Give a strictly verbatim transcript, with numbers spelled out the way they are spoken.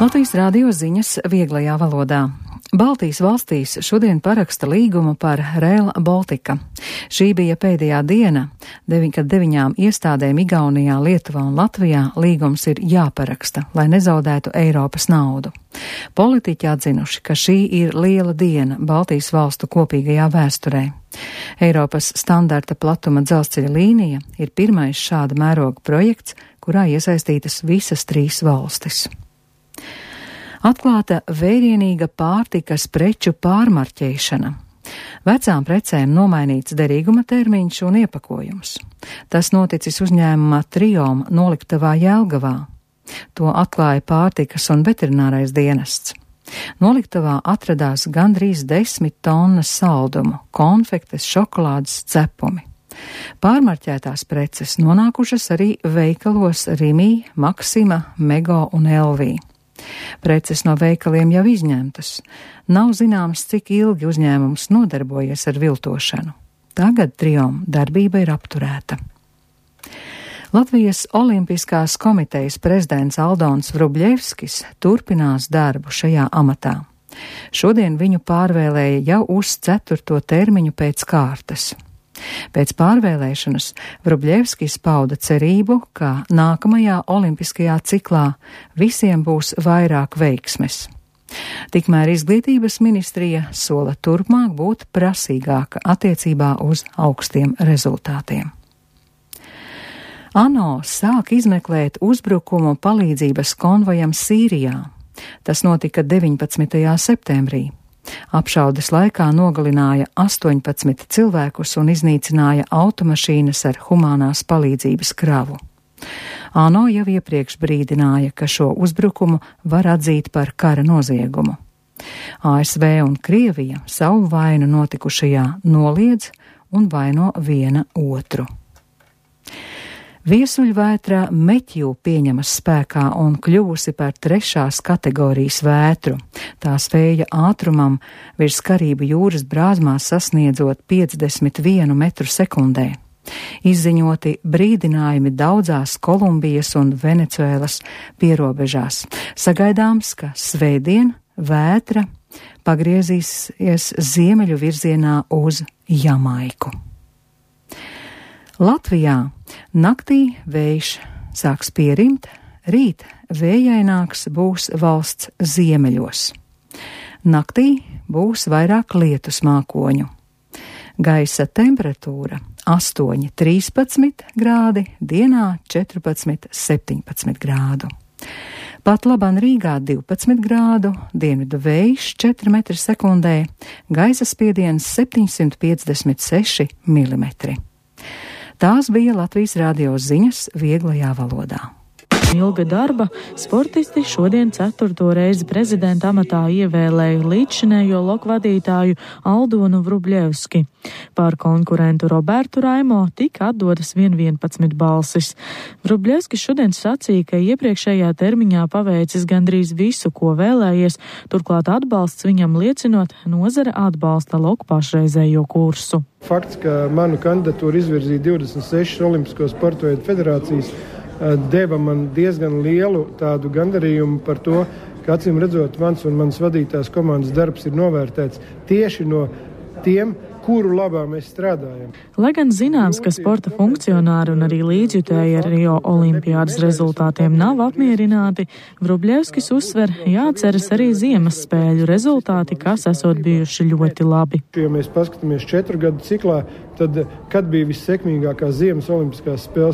Latvijas Rādio ziņas vieglajā valodā. Baltijas valstīs šodien paraksta līgumu par Rail Baltica. Šī bija pēdējā diena, kad deviņām iestādēm Igaunijā, Lietuvā un Latvijā līgums ir jāparaksta, lai nezaudētu Eiropas naudu. Politiķi atzinuši, ka šī ir liela diena Baltijas valstu kopīgajā vēsturē. Eiropas standarta platuma dzelzceļa līnija ir pirmais šāda mēroga projekts, kurā iesaistītas visas trīs valstis. Atklāta vērienīga pārtikas preču pārmarķēšana. Vecām precēm nomainīts derīguma termiņš un iepakojums. Tas noticis uzņēmumā Triom noliktavā Jelgavā. To atklāja pārtikas un veterinārais dienests. Noliktavā atradās gandrīz desmit tonnas saldumu, konfektes, šokolādes, cepumi. Pārmarķētās preces nonākušas arī veikalos Rimī, Maksima, Mego un Elvī. Preces no veikaliem jau izņemtas. Nav zināms, cik ilgi uzņēmums nodarbojies ar viltošanu. Tagad Triom darbība ir apturēta. Latvijas Olimpiskās komitejas prezidents Aldons Vrubļevskis turpinās darbu šajā amatā. Šodien viņu pārvēlēja jau uz ceturto termiņu pēc kārtas. Pēc pārvēlēšanas Vrubļevskis pauda cerību, ka nākamajā olimpiskajā ciklā visiem būs vairāk veiksmes. Tikmēr izglītības ministrija sola turpmāk būt prasīgāka attiecībā uz augstiem rezultātiem. ANO sāk izmeklēt uzbrukumu palīdzības konvojam Sīrijā. Tas notika deviņpadsmitajā septembrī. Apšaudes laikā nogalināja astoņpadsmit cilvēkus un iznīcināja automašīnas ar humānās palīdzības kravu. ANO jau iepriekš brīdināja, ka šo uzbrukumu var atzīt par kara noziegumu. A S V un Krievija savu vainu notikušajā noliedz un vaino viena otru. Viesuļvētra Meķju pieņemas spēkā un kļuvusi par trešās kategorijas vētru. Tās vēja ātrumam virs Karību jūras brāzmās sasniedzot piecdesmit vienu metru sekundē. Izziņoti brīdinājumi daudzās Kolumbijas un Venecuēlas pierobežās. Sagaidāms, ka svētdien vētra pagriezīsies ziemeļu virzienā uz Jamaiku. Latvijā naktī vējš sāks pierimt, rīt vējaināks būs valsts ziemeļos. Naktī būs vairāk lietus mākoņu. Gaisa temperatūra astoņi trīspadsmit grādi, dienā četrpadsmit septiņpadsmit grādu. Pat labāk Rīgā divpadsmit grādu, dienvidu vējš četri metri sekundē, gaisa spiediens septiņsimt piecdesmit seši milimetri. Tās bija Latvijas Rādio ziņas vieglajā valodā. Ilga darba sportisti šodien ceturto reizi prezidenta amatā ievēlēja līdzšinējo loku vadītāju Aldonu Vrubļevski. Pār konkurentu Robertu Raimo tika atdotas vien vienpadsmit balsis. Vrubļevskis šodien sacīja, ka iepriekšējā termiņā paveicis gandrīz visu, ko vēlējies, turklāt atbalsts viņam liecinot nozare atbalsta loku pašreizējo kursu. Fakts, ka manu kandidatūru izvirzīja divdesmit sešas Olimpisko sporta veidu federācijas, deva man diezgan lielu tādu gandarījumu par to, ka acīm redzot mans un manas vadītās komandas darbs ir novērtēts tieši no tiem, kuru labā mēs strādājam. Lai gan zināms, ka sporta funkcionāri un arī līdzjutēji ar Rio olimpiādas rezultātiem nav apmierināti, Vrubļevskis uzsver, jāatceras arī ziemas spēļu rezultāti, kas esot bijuši ļoti labi. Ja mēs paskatāmies četru gadu ciklā, tad kad bija vissekmīgākās ziemas olimpiskās spēles